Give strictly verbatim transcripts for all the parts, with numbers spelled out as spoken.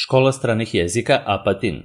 Škola stranih jezika Apatin.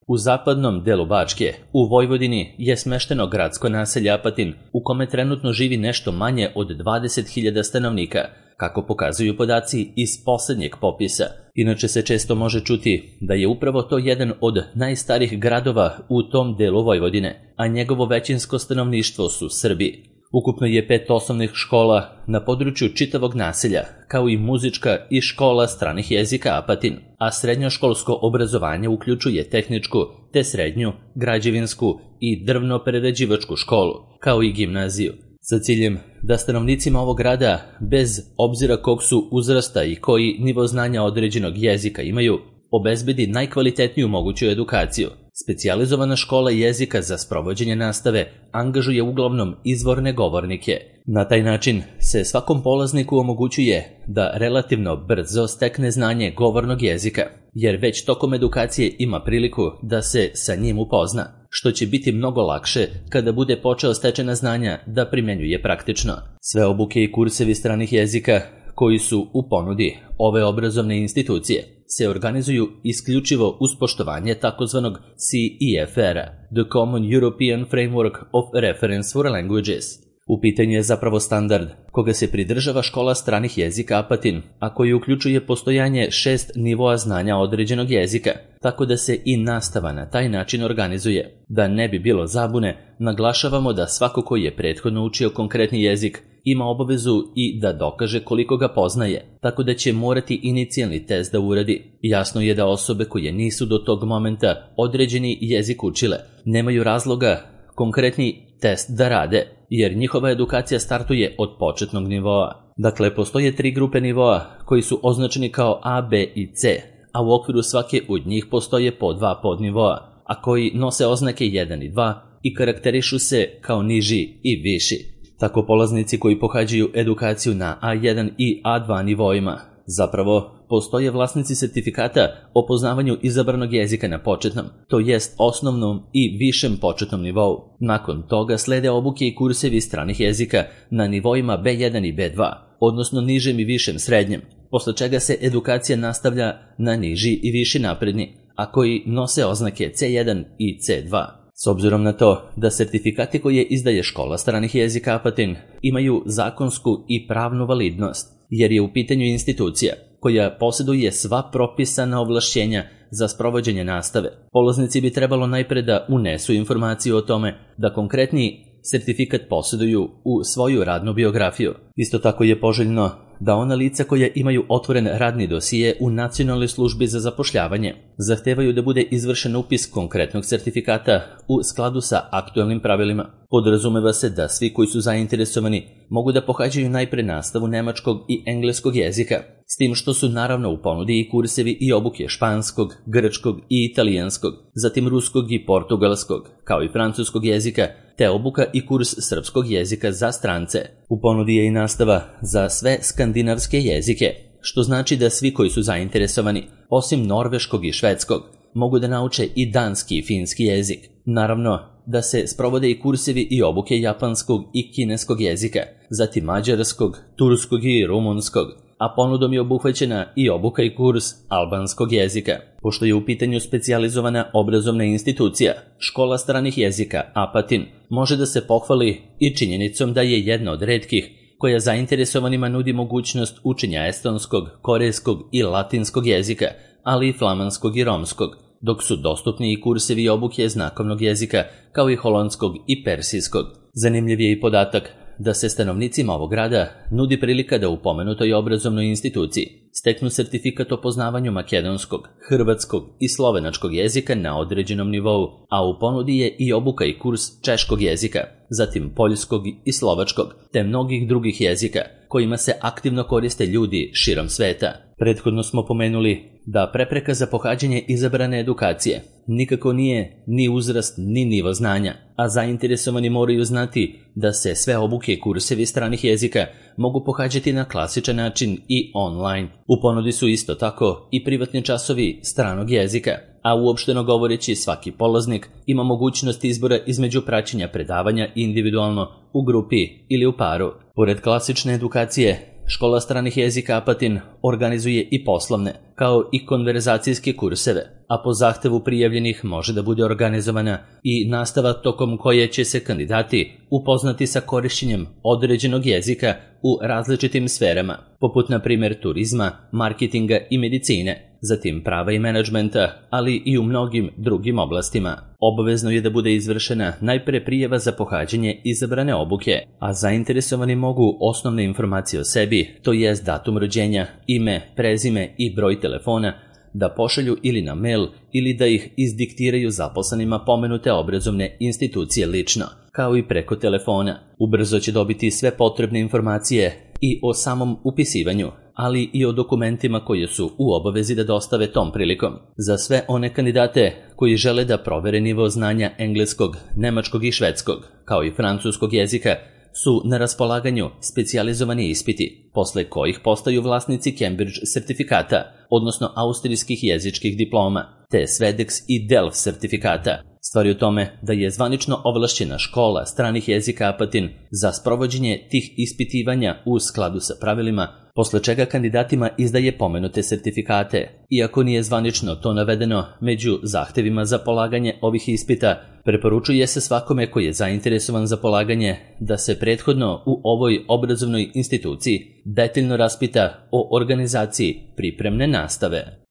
U zapadnom delu Bačke, u Vojvodini, je smešteno gradsko naselje Apatin, u kome trenutno živi nešto manje od dvadeset hiljada stanovnika, kako pokazuju podaci iz poslednjeg popisa. Inače se često može čuti da je upravo to jedan od najstarijih gradova u tom delu Vojvodine, a njegovo većinsko stanovništvo su Srbi. Ukupno je pet osnovnih škola na području čitavog naselja, kao i muzička i škola stranih jezika Apatin, a srednjoškolsko obrazovanje uključuje tehničku, te srednju, građevinsku i drvno-prerađivačku školu, kao i gimnaziju, sa ciljem da stanovnicima ovog grada, bez obzira kog su uzrasta i koji nivo znanja određenog jezika imaju, obezbedi najkvalitetniju moguću edukaciju. Specijalizovana škola jezika za sprovođenje nastave angažuje uglavnom izvorne govornike. Na taj način se svakom polazniku omogućuje da relativno brzo stekne znanje govornog jezika, jer već tokom edukacije ima priliku da se sa njim upozna, što će biti mnogo lakše kada bude počeo stečena znanja da primenjuje praktično. Sve obuke i kursevi stranih jezika koji su u ponudi ove obrazovne institucije se organizuju isključivo uz poštovanje takozvanog C E F R-a, The Common European Framework of Reference for Languages. U pitanju je zapravo standard koga se pridržava škola stranih jezika Apatin, a koji uključuje postojanje šest nivoa znanja određenog jezika, tako da se i nastava na taj način organizuje. Da ne bi bilo zabune, naglašavamo da svako koji je prethodno učio konkretni jezik ima obavezu i da dokaže koliko ga poznaje, tako da će morati inicijalni test da uradi. Jasno je da osobe koje nisu do tog momenta određeni jezik učile nemaju razloga konkretni test da rade, jer njihova edukacija startuje od početnog nivoa. Dakle, postoje tri grupe nivoa koji su označeni kao A, B i C, a u okviru svake od njih postoje po dva podnivoa, a koji nose oznake jedan i dva i karakterišu se kao niži i viši. Tako polaznici koji pohađaju edukaciju na A jedan i A dva nivoima zapravo postoje vlasnici sertifikata o poznavanju izabranog jezika na početnom, to jest osnovnom i višem početnom nivou. Nakon toga slede obuke i kursevi stranih jezika na nivoima B jedan i B dva, odnosno nižem i višem srednjem, posle čega se edukacija nastavlja na niži i viši napredni, a koji nose oznake C jedan i C dva. S obzirom na to da sertifikati koje izdaje škola stranih jezika Apatin imaju zakonsku i pravnu validnost, jer je u pitanju institucija koja posjeduje sva propisana ovlašćenja za sprovođenje nastave, polaznici bi trebalo najpre da unesu informaciju o tome da konkretni sertifikat posjeduju u svoju radnu biografiju. Isto tako je poželjno da ona lica koja imaju otvoren radni dosije u Nacionalnoj službi za zapošljavanje zahtevaju da bude izvršen upis konkretnog sertifikata u skladu sa aktuelnim pravilima. Podrazumeva se da svi koji su zainteresovani mogu da pohađaju najpre nastavu nemačkog i engleskog jezika, s tim što su naravno u ponudi i kursevi i obuke španskog, grčkog i italijanskog, zatim ruskog i portugalskog, kao i francuskog jezika, te obuka i kurs srpskog jezika za strance. U ponudi je i nastava za sve skandinavske jezike, što znači da svi koji su zainteresovani, osim norveškog i švedskog, mogu da nauče i danski i finski jezik. Naravno da se sprovode i kursevi i obuke japanskog i kineskog jezika, zatim mađarskog, turskog i rumunskog, a ponudom je obuhvaćena i obuka i kurs albanskog jezika. Pošto je u pitanju specijalizovana obrazovna institucija, škola stranih jezika Apatin može da se pohvali i činjenicom da je jedna od retkih koja zainteresovanima nudi mogućnost učenja estonskog, korejskog i latinskog jezika, ali i flamanskog i romskog, dok su dostupni i kursevi i obuke znakovnog jezika, kao i holandskog i persijskog. Zanimljiv je i podatak da se stanovnicima ovog grada nudi prilika da u pomenutoj obrazovnoj instituciji steknu sertifikat o poznavanju makedonskog, hrvatskog i slovenačkog jezika na određenom nivou, a u ponudi je i obuka i kurs češkog jezika, zatim poljskog i slovačkog, te mnogih drugih jezika kojima se aktivno koriste ljudi širom sveta. Prethodno smo pomenuli da prepreka za pohađanje izabrane edukacije nikako nije ni uzrast ni nivo znanja, a zainteresovani moraju znati da se sve obuke i kursevi stranih jezika mogu pohađati na klasičan način i online. U ponudi su isto tako i privatni časovi stranog jezika, a uopšteno govoreći svaki polaznik ima mogućnost izbora između praćenja predavanja individualno, u grupi ili u paru. Pored klasične edukacije, škola stranih jezika Apatin organizuje i poslovne, kao i konverzacijske kurseve, a po zahtevu prijavljenih može da bude organizovana i nastava tokom koje će se kandidati upoznati sa korišćenjem određenog jezika u različitim sferama, poput na primjer turizma, marketinga i medicine, zatim prava i menadžmenta, ali i u mnogim drugim oblastima. Obavezno je da bude izvršena najpre prijava za pohađanje izabrane obuke, a zainteresovani mogu osnovne informacije o sebi, to jest datum rođenja, ime, prezime i broj telefona, da pošalju ili na mail ili da ih izdiktiraju zaposlenima pomenute obrazovne institucije lično, kao i preko telefona. Ubrzo će dobiti sve potrebne informacije i o samom upisivanju, ali i o dokumentima koje su u obavezi da dostave tom prilikom. Za sve one kandidate koji žele da provere nivo znanja engleskog, nemačkog i švedskog, kao i francuskog jezika, su na raspolaganju specijalizovani ispiti, posle kojih postaju vlasnici Cambridge sertifikata, odnosno austrijskih jezičkih diploma, te Swedex i Delft sertifikata. Stvar je u tome da je zvanično ovlašćena škola stranih jezika Apatin za sprovođenje tih ispitivanja u skladu sa pravilima, posle čega kandidatima izdaje pomenute sertifikate. Iako nije zvanično to navedeno među zahtevima za polaganje ovih ispita, preporučuje se svakome koji je zainteresovan za polaganje da se prethodno u ovoj obrazovnoj instituciji detaljno raspita o organizaciji pripremne nastave.